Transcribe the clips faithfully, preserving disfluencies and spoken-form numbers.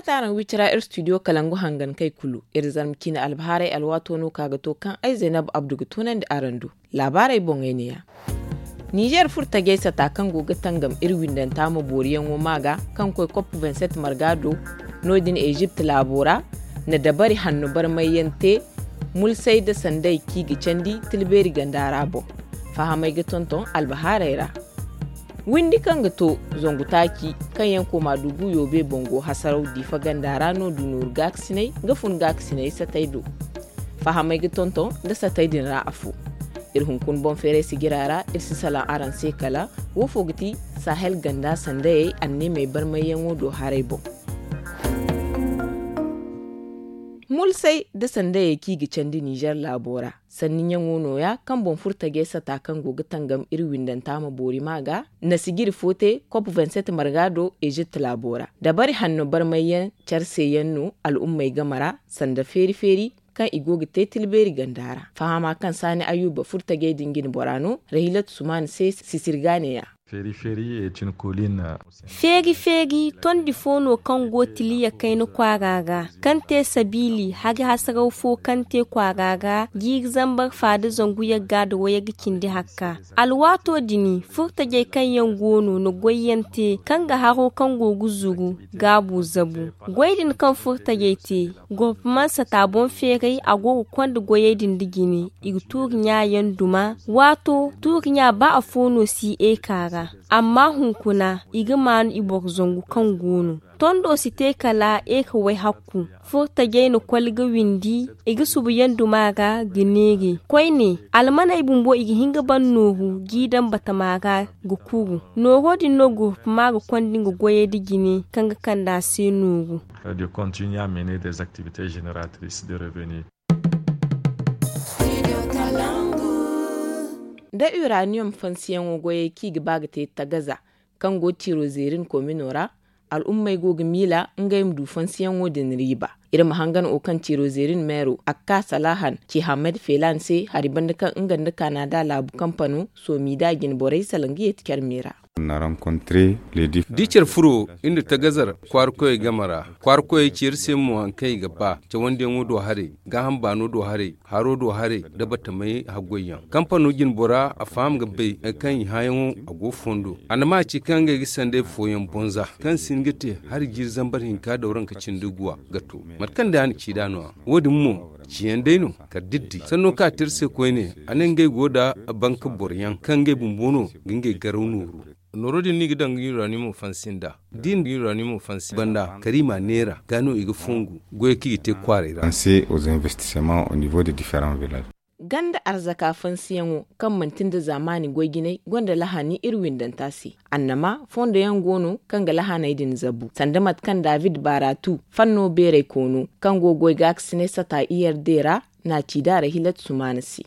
Fatta araŋ wicira iri studio kalangu hangankey kulu iri zarma ciine albahaarey alwaato no ka ga to kaŋ ay zaynab abdu ga tunandi araŋ do. Laabaarey boŋey neeya. Nizer furtajey sata kaŋ go ga tangam iri windanta ma booriyaŋo maa ga kaŋ koy kop vingt-sept marga do. No- din ezipt laabo ra na dabari hanno barmayyaŋ te. Mulsey nda sandey kaŋ i ga candi tilbeeri ganda ra boŋ. Fahamey ga tonton albahaarey ra. Windi kaŋ ga to zangu taaci kaŋ yaŋ kooma dugu yoobe boŋ go hasaraw diifa ganda ra no du nooru gaakasiney ga fun gaakasiney satey do. Fahamey ga tonton nda satey din ra afo. Iri hunkuna boŋ feeray sijira ra iri si salaŋ araŋ se kala wo fo ga ti sahel ganda sandayey anneemey barmayyaŋo do haray boŋ. Mulsey nda sandayey kaŋ i ga candi nizer laabo ra sanni ɲaŋo nooya kaŋ boŋ furtajey sata kaŋ go ga tangam iri windanta ma boori ma ga na sijiri fo te kop vingt-sept marga do ezipt laabo ra. Dabari hanno barmayyaŋ care se yaŋ no al'ummey game ra sanda feeri feeri kaŋ i go ga te tilbeeri ganda ra. Fahama kaŋ saani ayyuba furtajey din jine bora no rahilat sumaana se sisiri ga neeya. Feeri feeri tondi fo no kaŋ go tiliya kayna kwaara ra kaŋ te sabiili hari hasaraw fo kaŋ te kwaara ra jiiri zambar faada zangu yagga nda wayagga cindi hakka. Alwaato din furtajey kaŋ yaŋ go no na goyyaŋ te kaŋ ga haro kaŋ go ga zuru gaabu zabu. Goy din kaŋ furtajey te gurpumansata boŋ feeray a go ga konda goyey din nda jine i ga tuuri ɲa yaŋ duma. Waato tuuri ɲa ba afo no si eeka ra. Amma hunkuna i ga maanu i boro zangu kaŋ go no tondo si te kala eeka way hakku. Furtajey na koli ga windi i ga subu yaŋ duma ra ga neeri koyne almaney bumbo i ga hin ga ban nooru g'i daŋ batama ra ga kuru. Nooro din no gurpuma ga konda nga goyey nda jine kaŋ ga kande a se nooru. De continuer à mener des activités génératrices de revenus. Nda uranium fansiyaŋo goyey kaŋ i ga ba ga te tagaza kaŋ go tiro zeerin komino ra al'ummey go ga miila ngey ma du fansiyaŋo din riiba. Iri ma hangan wo kaŋ tiro zeerin meero akka salahan ci hamed felan se hari banda kaŋ nga nda kanada laabu kampano soomi da jine borey salaŋ ga yeeti care meera. Da i care furo iri nda tagazar kwaara koyey game ra kwaara koyey ci iri se mo hari kaŋ i ga ba cawandiyaŋo do haray gaaham baano do haray haro do haray nda batamey haggoyyaŋ kampano jine bora a faham ga bay hari kaŋ i hãayaŋo a go fondo a na ma ci kaŋ ngey ga sanday fooyaŋ bonza kaŋ si hin ga te hari jiiri zambar hinka dawranka cindi guwa ga to mate kaŋ day a na ci nd'a no- ya wo- din mo ciyaŋ day no kala da iri di sanno kaŋ a te iri se koyne a ne ngey go nda banka boroyaŋ kaŋ ngey bumbo no ga ngey garaw nooru. Nooro din no i ga daŋ ga uranium fansi nd'a da i na uranium fansi banda kala i m'a neera ga no i ga fongu goyey kaŋ i ga te kwaaray ra. Ganda arzaka fansiyaŋo kaŋ manti nda zaamaani goy jinay gonda lahani iri windanta se. Annama fondo yaŋ go no kaŋ ga lahaney din zabu sanda mate kaŋ david baaratu fanno beeray koono kaŋ go ga goy gaakasinay sata i r d ra n'a ci da rahilat sumaana se.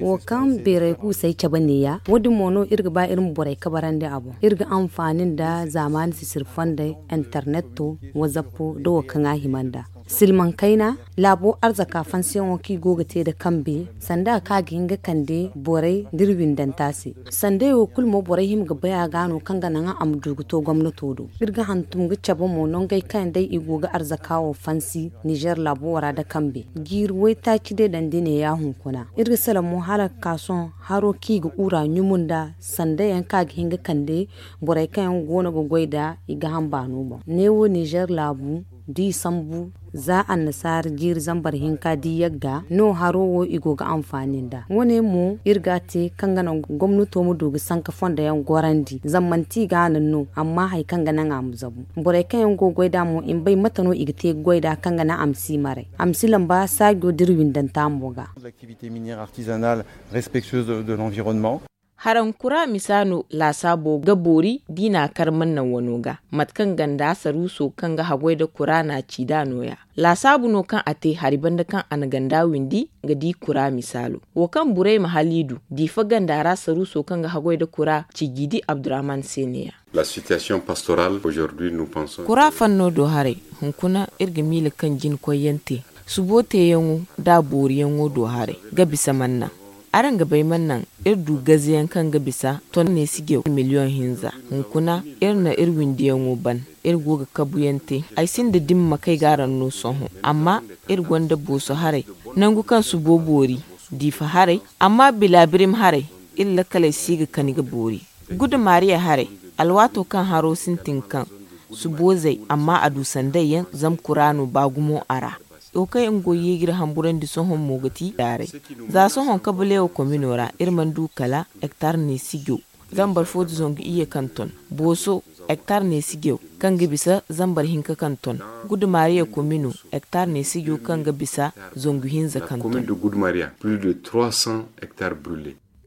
Wo kaŋ beeray kuusey cabe neeya wo- din mo no iri ga ba iri ma borey kabarandi a boŋ iri ga anfaani nda zaamaani sisiri fondey interneto wazappo nda wo kaŋ a hima nd'a. Silmaŋ kayna laabo arzaka fansiyaŋo kaŋ i go ga te nda kambe sanda kaŋ a ga hin ga kande borey nda iri windanta se. Sanday wo kulu mo borey hima ga bay a ga no kaŋ ga naŋ a ma du ga to gomnato do iri ga hantum ga cabe mo nongey kaŋ yaŋ day i go ga arzaka wo fansi nizer laabo ra nda kambe jiiri waytaaci day daŋ da neeya hunkuna iri ga salaŋ mo hala ga ka sohõ haro kaŋ i ga ura ɲumu nda sanda yaŋ kaŋ a ga hin ga kande borey kaŋ yaŋ go no ga goy nda i ga hamba no boŋ neewo nizer laabu da i sambu za annasaara jiiri zambar hinka da i yagga no haro wo i go ga anfaani nd'a wo- ne mo iri ga a te kaŋ ga naŋ gomnato ma du ga sanka fondo yaŋ gorandi zama manti i ga a naŋ no amma hari kaŋ ga naŋ a ma zabu borey kaŋ yaŋ go ga goy nd'a mo i ma bay mate no i ga te ga goy nd'a kaŋ ga naŋ a ma si maray a ma si lamba saajo da iri windanta mo ga. Haraŋ kura misa no laasaabo ga boori da i n'a kar mannaŋ wano ga mate kaŋ ganda saruuso kaŋ ga haggoy nda kura n'a ci nd'a nooya. Laasaabu no kaŋ a te hari banda kaŋ a na ganda windi ga di kura misaalo wo kaŋ burayma haliidu diifa ganda ra saruuso kaŋ ga haggoy nda kura ci jiidi abdurrahman se neeya. Kura fanno do haray hunkuna iri ga miila kaŋ jinkoyyaŋ te subo teeyaŋo nda booriyaŋo do haray ga bisa mannaŋ. Araŋ ga bay man naŋ iri du gaze yaŋ kaŋ ga bisa ton neesijew miliyoŋ hinza. Hunkuna iri na iri windiyaŋo ban. Iri go ga kabu yaŋ te. Ay sinda dimma kay ga araŋ no sohõ. Amma iri gonda booso haray, nangu kaŋ subo boori, diifa haray, amma bilaabirim haray, iri lakkaley si ga kani ga boori. Gudu maariya haray, alwaato kaŋ haro sintin kaŋ subo zay, amma a du sanday yaŋ zama kuraano ba gumo a ra. Wo kaŋ yaŋ go yeejire hamburandi sohõ mo ga ti daaray. Za sohõ kabuleewo komino ra iri mana du kala hektar neesijo, zambar fo da zangu iyye kaŋ ton. Booso, hektar neesijew kaŋ ga bisa zambar hinka kaŋ ton. Gudu maariya komino, hektar neesijo kaŋ ga bisa zangu hinza kaŋ ton.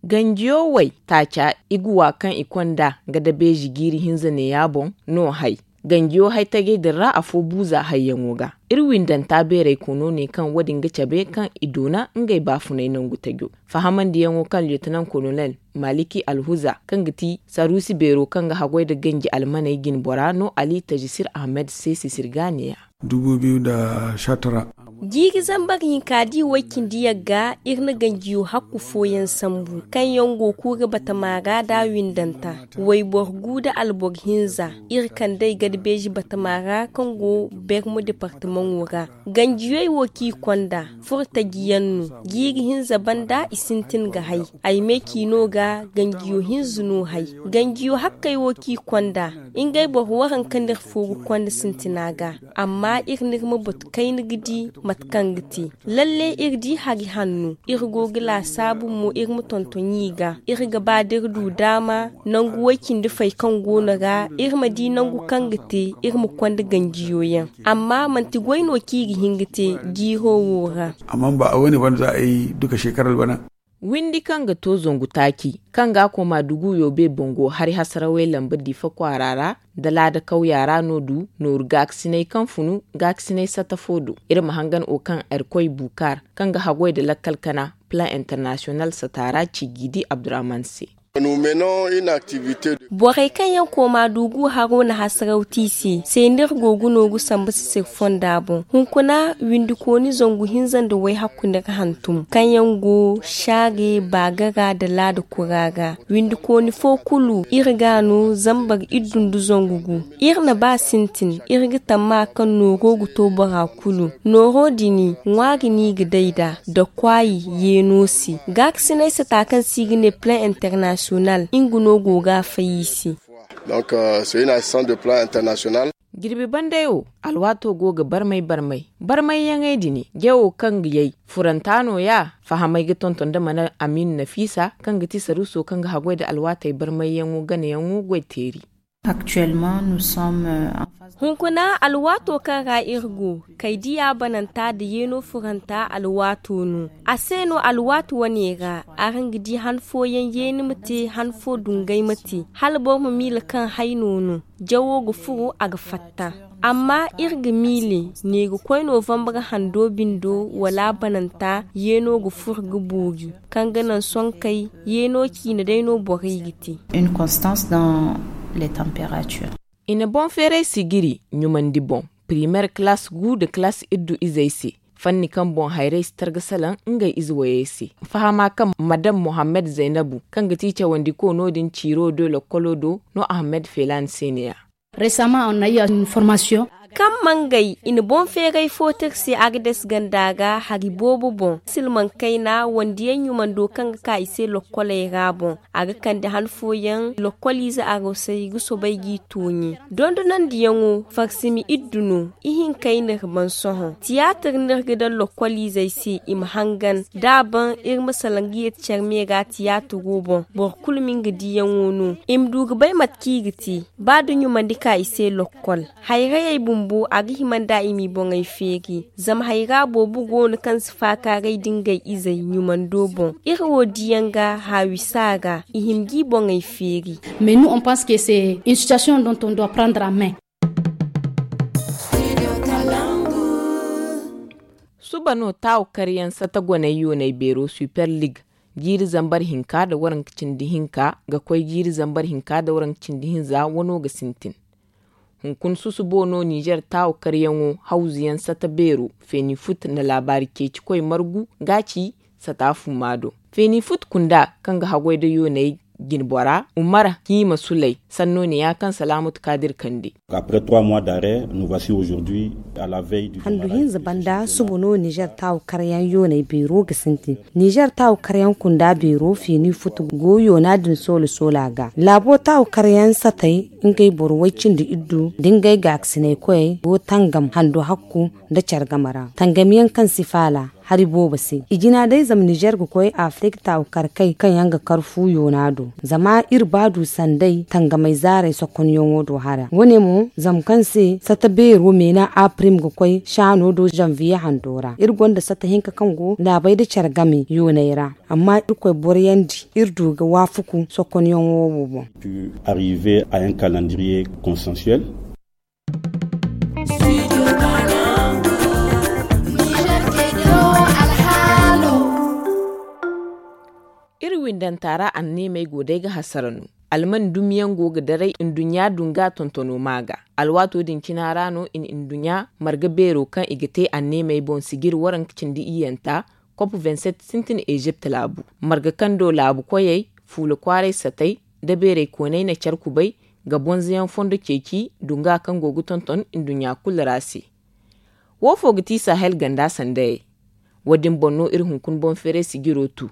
Ganjiyo way taaca iguwa kaŋ i konda ga dabeeji jiiri hinza neeya boŋ no hay. Ganjiyo hay tajey din ra afo buuza hayyaŋo ga. Iri windanta beeray kono ne kaŋ wo-din ga cabe kaŋ i doona ngey baafunay nangu tajo. Fahamandiyaŋo kaŋ lieutenant colonel maliki alhuza kaŋ ga ti saruusi beero kaŋ ga haggoy nda ganji almaney jinbora no ali tajisir ahmed se sisir ga neeya. Jiiri zambar hinka di way cindi yagga iri na ganjiyo hakku fooyaŋ sambu kaŋ yaŋ go kuura batama ra da windanta. Wayboro gu nda alboro hinza iri kand'ey garbeeji batama ra kaŋ go bermu departamaŋo ra. Ganjiyey wo kaŋ i konda furo taji yaŋ no. Jiiri hinza banda i sintin ga hay. Ay me ciino ga ganjiyo hinza no hay. Ganjiyo hakkey wo kaŋ i konda ngey boro waranka no iri fooru konda sintina ga. Amma iri n'iri ma batu kayna ga di mate kaŋ ga te. Lalle iri di hari hanno iri go ga laasaabu mo iri ma tonton i ga. Iri ga ba da iri du daama nangu way cindi fay kaŋ go no ra iri ma di nangu kaŋ ga te iri ma konda ganjiyo yaŋ. Amma manti goy no kaŋ i ga hin ga te jiiro wo ra. Amma ba a wane bana za ay duka shekarar bana. Windi kaŋ ga to zangu taaci kaŋ ga a koma dugu yoobe bango hari hasarawey lamba diifa kwaara ra nda laada kawya ra no du nooru gaakasinay kaŋ funu gaakasinay sata fo do. Iri ma hangan wo kaŋ erkoy bukaar kaŋ ga haggoy nda lakkal kana plan international sata ra ci g'i di abdurahman se. Borey kaŋ yaŋ kooma dugu haro na hasaraw te i se se no iri go ga nooru samba sisir fonda boŋ. Hunkuna windikooni zangu hinza nda way hakku no iri hantum kaŋ yaŋ go shaare baagara nda laada kura ra. Windikooni fo kulu iri ga a no zambar iddu nda zangu gu. Iri na ba sintin iri ga tamma kaŋ nooro ga to bora kulu. Nooro din ŋwaari no i ga day nd'a da kwaayi yeeno se. Gaakasinay sata kaŋ se i ga ne plan international nga no go ga a fay i se. Jirbi banday wo alwaato go ga barmay barmay barmayyaŋey din. Jawo kaŋ ga yay furanta nooya. Fahamey ga tonton nda mana amiina nafiisa kaŋ ga ti saruuso kaŋ ga haggoy nda alwaatey barmayyaŋo ganayaŋo goy teeri. Hunkuna alwaato kaŋ ra iri go kay diya bananta nda yeeno furanta alwaato no. A se no alwaati wane ra araŋ ga di han fooyaŋ yeeni ma te han fo dungay ma te hala boro ma miila kaŋ hayno no. Jawo ga furo a ga fatta. Amma iri ga miile neegakoy novambar hando bindo wala bananta yeeno ga furo ga boori kaŋ ga naŋ sonkey yeeno ciine day no borey ga te. I na boŋ feeray sigiri ɲumandi boŋ primeer kalaas gu nda kalaas iddu izey se. Fanni kaŋ boŋ hayrey si targa salaŋ ngey ize wayey se. Fahama kaŋ madam mohammed zaynabu kaŋ ga ti cawandiko no- din ciiro do lokkolo do no ahmed feelaani se ne-ya. Kaŋ mangay i na boŋ feeray fo te iri se agades ganda ga hari boobo boŋ silmaŋ kayna wandiyaŋ ɲumando kaŋ ga ka i se lokkoley ra boŋ. A ga kande han fooyaŋ lokkoliize arosey ga soobay g'i tooɲi. Dondonandiyaŋo farsimi iddu no. Ihinkey n'iri ban sohõ tiyaatir n'iri ga daŋ lokkoliizey se i ma hangan da a ban iri ma salaŋ ga yeeti care me ra tiyaatiro boŋ. Boro kulu ma nga diyaŋo no i ma du ga bay mate kaŋ i ga te. Ba da ɲumandi ka i se lokkol hayrayey bumbo a ga hima nda i m'i boŋey feeri. Zama hayra boobo go no kaŋ si faakaaray da ngey izey ɲumando boŋ. Iri wo diyaŋ ga haawi saara i hima g'i boŋey feeri. Mais nous on pense que c'est une situation dont on doit prendre en main. Suba no taawo karyaŋ sata goney yooney beero super league jiiri zambar hinka nda waranka cindi hinka ga koy jiiri zambar hinka nda waranka cindi hinza wano ga sintin. Hunkuna susubo no nizer taawo karyaŋo hawzuyaŋ sata beero feeni fut nda laabaari ceecikoy margu ga ci sata fumma do. Feeni futu kunda kaŋ ga haggoy nda yooney jinbora umar hiima suley sanno ne ya kaŋ salaamatu kaadir kande. Handu hinza banda suba no nizer taawu karyaŋ yooney beero ga sintin. Nizer taawu karyaŋ kunda beero feeni futu go yoona din soola soola ga laabo taawu karyaŋ satey ngey boro way cindi iddu nda ngey gaakasinay koyey go tangam hando hakku nda care game ra tangam yaŋ kaŋ si faala hari boobo se. I jina day zama nizer ga koy afirik taawu kar kay kaŋ yaŋ ga kar fu yoona do. Zama iri ba du sanday tangamey zaarey sokonyaŋo do hara wo- ne mo zama kaŋ se sata beero meena apirim ga koy saano do zanviye hando ra iri gonda sata hinka kaŋ go laabey nda care game yooney ra. Amma irkoy boroyandi iri du ga waafaku sokonyaŋo wo boŋ. Iri windanta ra anneemey go day ga hasara no. Alman dumi yaŋ go ga daray nduɲɲa dunga tontono ma ga. Alwaato din cina ra no i na nduɲɲa marga beero kaŋ i ga te anneemey boŋ sijiri waranka cindi iyyanta kop vingt-sept sintin ezipt laabu. Marga kaŋ do laabu koyey fuula kwaaray satey nda beeray koonay na care kubay ga bonzoyaŋ fondo ceeci dunga kaŋ go ga tonton nduɲɲa kulu ra se. Wo fo ga ti sahel ganda sandayey? Wo- din boŋ no iri hunkuna boŋ feeray sijiro tu.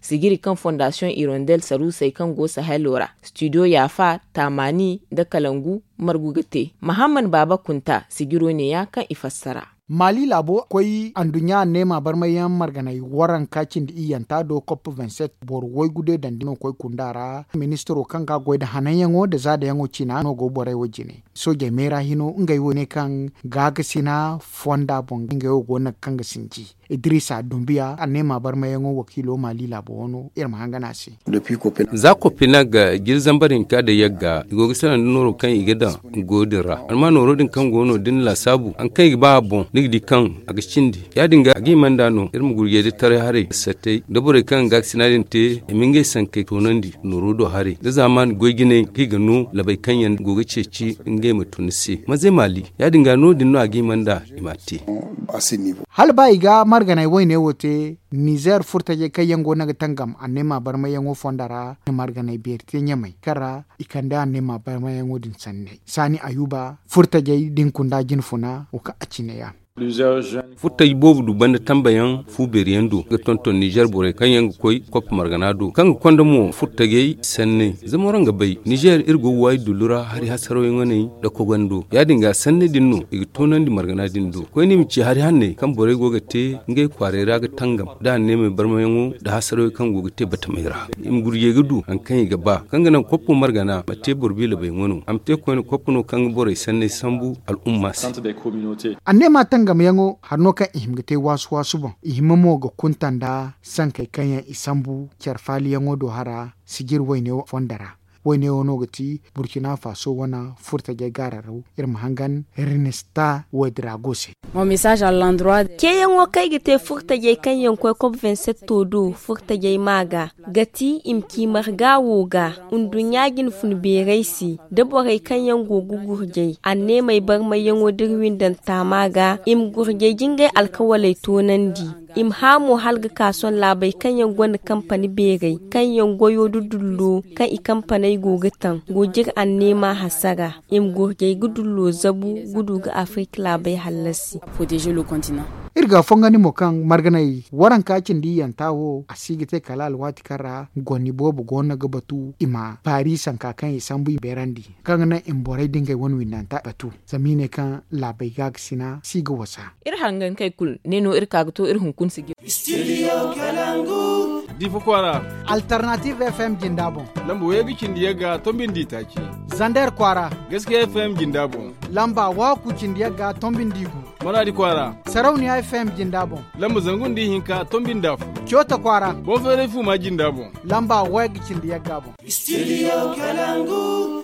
Sijiri kaŋ fondasiyoŋ irondel saruusey kaŋ go sahelo ra studio yaafa taamaani nda kalangu margu ga te mahamman baaba kunta sijiro ne- ya kaŋ i fassara. Maali laabo koy anduɲɲa anneema barmayyaŋ marganey waranka cindi iyyanta do kop vingt-sept boro waygu de dandi no koy kunda ra ministiro kaŋ ga goy nda hananyaŋo nda zaadayaŋo ciina no go borey wo jine. Soojey meera hino ngey wo ne kaŋ gaakasina fonda boŋ ngey wo go no ga kaŋ ga sinji. Idiriisa dumbiya anneema barmayaŋo wakiilo maali laabo wano iri ma hangan a se. Za kopina ga jiri zambar hinka da yagga i go ga sara nda nooro kaŋ i ga daŋ go din ra. Amma nooro din kaŋ go no da ni laasaabu hari kaŋ i ga ba a boŋ ni ga di kaŋ a ga cindi. Ya- din ga a ga hima nd'a no iri ma gurjey da taray haray sattay da borey kaŋ ga gaakasina din te i ma ngey sankey toonandi nooro do haray da zaamaani goy jinay kaŋ i ga no labey kaŋ yaŋ go ga ceeci ngey ma tun ni se manzey maali. Ya- din ga no- din no a ga hima nd'a i m'a te. Hala ba i ga marganay wayne wo te nizer furtajey kaŋ yaŋ go no ga tangam anneema barmayyaŋo fonda ra, marganay beeri te ɲamay kaŋ ra i kande anneema barmayyaŋo din sanney saani ayuba furtajey da ni kunda jinfuna wo kaŋ a cine ya. Furtaji boobo du banda tambayaŋ fu beeri yaŋ do ga tonton nizer borey kaŋ yaŋ ga koy koppa margana do kaŋ ga konda mo furtajey sanney. Zama waraŋ ga bay nizer iri go ga waayi dullu ra hari hasaraw yaŋ wane nda kogando ya- din ga sanney din no i ga toonandi margana din do koyne i ma ci hari hanney kaŋ borey go ga te ngey kwaaray ra ga tangam da anneemey barmayaŋo nda hasaraw yaŋ kaŋ go ga te batamey ra. I ma gurjey ga du hari kaŋ i ga ba kaŋ ga naŋ koppo margana ma te boro biila bay ŋwano a ma te koyne koppo no kaŋ ga borey sanney sambu al'umma se. Anneema tangamyaŋo hari no kaŋ i hima ga te waasu waasu boŋ i hima mo ga kunta nda sankey kaŋ yaŋ i sambu care faaliyaŋo do hara sijir wayne fonda ra. Wayne wo no ga ti burkina faso wane furtajey gaararaw iri ma hangan rinista woy dirago se. Ceeyaŋo kaŋ ay ga te furtajey kaŋ yaŋ koy kop vingt-sept do furtajey ma ga ga ti i ma ci marga wo ga nduɲɲa jinfun beerey se da borey kaŋ yaŋ go ga gurjay anneemey barmayyaŋo da iri windanta ma ga i ma gurjay jingay alkawaley toonandi. I ma hã mo hala ga ka sohõ laabey kaŋ yaŋ gonda kampani beerey kaŋ yaŋ goyo da dullo kaŋ i kampaney go ga taŋ go jire anneema hasara. I ma gurjay ga dullo zabu ga du ga afirik laabey hallasi. Iri ga fongandi mo kaŋ marganay waranka cindi iyyanta wo a si ga te kala alwaati kaŋ ra goni boobo go no ga batu i ma paari sanka kaŋ i sambu i beerandi kaŋ ga naŋ i ma borey da ngey wane windanta batu zama i ne kaŋ laabey gaakasina si ga wasa. Iri hangankey kulu ne no iri ka ga to iri hunkuna sijiri. Difa kwaara. Alternative fm jinda boŋ. Lamba way ga cindi yagga tombindi taaci. Zander kwaara. Gaskiya fm jinda boŋ. Lamba waku cindi yagga tombindi gu. Maradi kwaara. Sarauniya fm jinda boŋ. Lamba zangu nda ihinka tombindi afo. Coota kwaara. Boŋ feeray fu ma jinda boŋ. Lamba way ga cindi yagga boŋ. Studio kalangu.